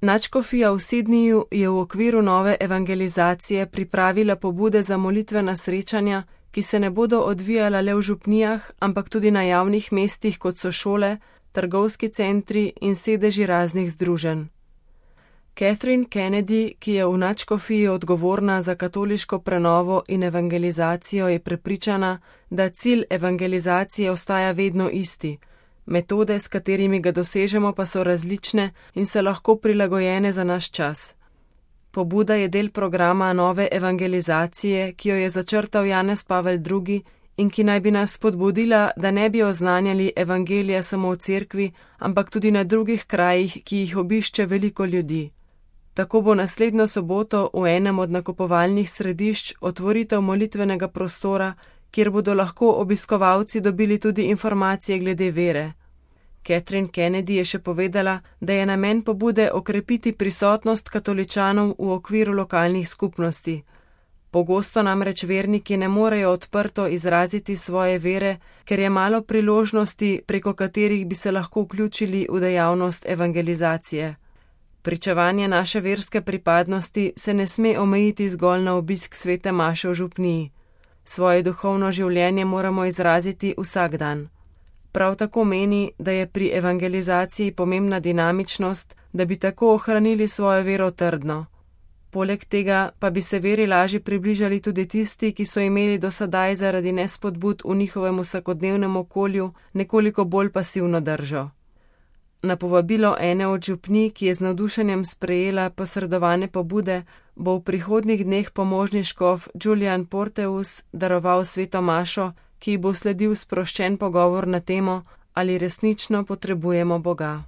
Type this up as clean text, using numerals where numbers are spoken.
Nadškofija v Sydneyju je v okviru nove evangelizacije pripravila pobude za molitvena srečanja, ki se ne bodo odvijala le v župnijah, ampak tudi na javnih mestih, kot so šole, trgovski centri in sedeži raznih združenj. Catherine Kennedy, ki je v nadškofiji odgovorna za katoliško prenovo in evangelizacijo, je prepričana, da cilj evangelizacije ostaja vedno isti. Metode, s katerimi ga dosežemo, pa so različne in se lahko prilagojene za naš čas. Pobuda je del programa nove evangelizacije, ki jo je začrtal Janez Pavel II. In ki naj bi nas spodbudila, da ne bi oznanjali evangelija samo v cerkvi, ampak tudi na drugih krajih, ki jih obišče veliko ljudi. Tako bo naslednjo soboto v enem od nakupovalnih središč otvoritev molitvenega prostora, kjer bodo lahko obiskovalci dobili tudi informacije glede vere. Catherine Kennedy je še povedala, da je namen pobude okrepiti prisotnost katoličanov v okviru lokalnih skupnosti. Pogosto namreč verniki ne morejo odprto izraziti svoje vere, ker je malo priložnosti, preko katerih bi se lahko vključili v dejavnost evangelizacije. Pričevanje naše verske pripadnosti se ne sme omejiti zgolj na obisk svete maše v župniji. Svoje duhovno življenje moramo izraziti vsak dan. Prav tako meni, da je pri evangelizaciji pomembna dinamičnost, da bi tako ohranili svojo vero trdno. Poleg tega pa bi se veri lažje približali tudi tisti, ki so imeli do sedaj zaradi nespodbud v njihovem vsakodnevnem okolju nekoliko bolj pasivno držo. Na povabilo ene od župnij, ki je z navdušenjem sprejela posredovane pobude, bo v prihodnjih dneh pomožni škof Julian Porteus daroval sveto mašo, ki ji bo sledil sproščen pogovor na temo, ali resnično potrebujemo Boga.